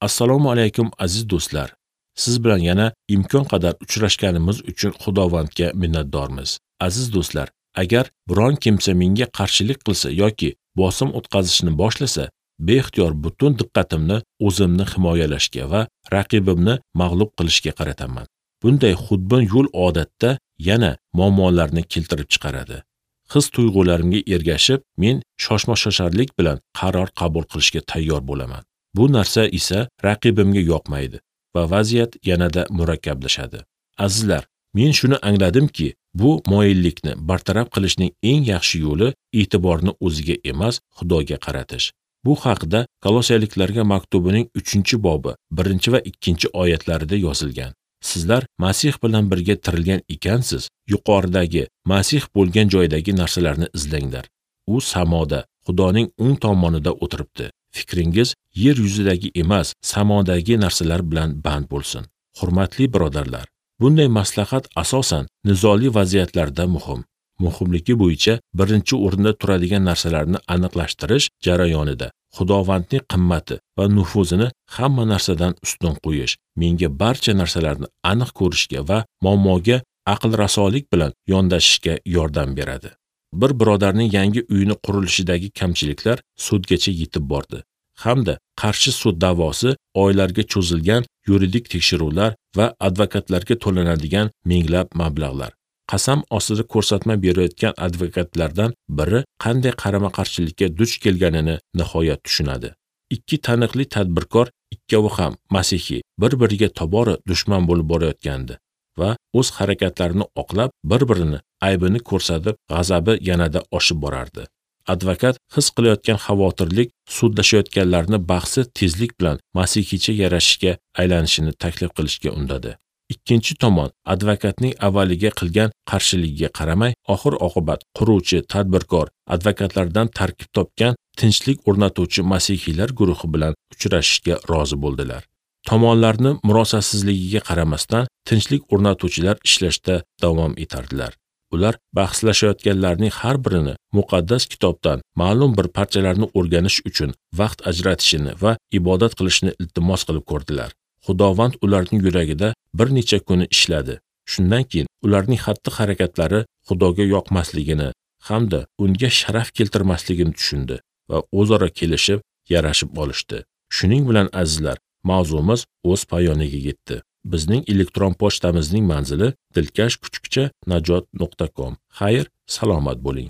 Assalomu alaykum aziz do'stlar. Siz bilan yana imkon qadar uchrashganimiz uchun Xudovandga minnatdormiz. Aziz do'stlar, agar biron kimsa menga qarshilik qilsa yoki bosim o'tkazishni boshlasa, beixtiyor butun diqqatimni o'zimni himoyalashga va raqibimni mag'lub qilishga qarataman. Bunday xudbin yo'l odatda yana muammolarni keltirib chiqaradi. His tuyg'ularimga ergashib, men shoshma-shosharlik bilan qaror qabul qilishga tayyor bo'laman. Bu narsa esa raqibimga yoqmaydi va vaziyat yanada murakkablashadi. Azizlar, men shuni angladimki, bu moyillikni bartaraf qilishning eng yaxshi yo'li e'tiborni o'ziga emas, Xudoga qaratish. Bu haqda Kolossaliklarga maktubining 3-bobi 1 va 2 oyatlarida yozilgan. Sizlar Masih bilan birga tirilgan ekansiz, yuqoridagi Masih bo'lgan joydagi narsalarni izlanglar. U samoda, Xudoning o'ng tomonida o'tiribdi. Fikringiz yer yuzidagi emas, samodagi narsalar bilan band bo'lsin. Hurmatli birodarlar, bunday maslahat asosan nizoli vaziyatlarda muhim. Muhimligi bo'yicha birinchi o'rinda turadigan narsalarni aniqlashtirish jarayonida Xudovandning qimmati va nufuzini hamma narsadan ustun qo'yish menga barcha narsalarni aniq ko'rishga va muammoga aql rasolik bilan yondashishga yordam beradi. Bir birodarning yangi uyini qurilishidagi kamchiliklar sudgacha yetib bordi. Hamda qarshi sud da'vosi oylarga cho'zilgan yuridik tekshiruvlar va advokatlarga to'lanadigan minglab mablag'lar. Qasam ostida ko'rsatma berayotgan advokatlardan biri qanday qarama-qarshilikka duch kelganini nihoyat tushunadi. Ikki taniqli tadbirkor, ikkovi ham masihiy, bir-biriga tobora dushman bo'lib borayotgandi va o'z harakatlarini oqlab, bir-birini aybini ko'rsatib, g'azabi yanada oshib borardi. Advokat his qilayotgan xavotirlik sudlashayotganlarni bahsi tezlik bilan masihiycha yarashishga aylanishini taklif qilishga undadi. Ikkinchi tomon advokatning avvaliga qilgan qarshiligiga qaramay, oxir-oqibat quruvchi, tadbirkor, advokatlardan tarkib topgan tinchlik o'rnatuvchi masihiylar guruhi bilan uchrashishga rozi bo'ldilar. Tomonlarni murosasizligiga qaramasdan tinchlik o'rnatuvchilar ishlashda davom etardilar. Ular bahslashayotganlarning har birini muqaddas kitobdan ma'lum bir parchalarni o'rganish uchun vaqt ajratishini va ibodat qilishni iltimos qilib ko'rdilar. Xudovand ularning yuragida bir necha kuni ishladi. Shundan keyin ularning xatti-harakatlari Xudoga yoqmasligini hamda unga sharaf keltirmasligini tushundi va o'zaro kelishib, yarashib olishdi. Shuning bilan azizlar, mavzumiz o'z poyoniga yetdi. Bizning elektron pochtamizning manzili dilkash@najot.com. Xayr, salomat bo'ling.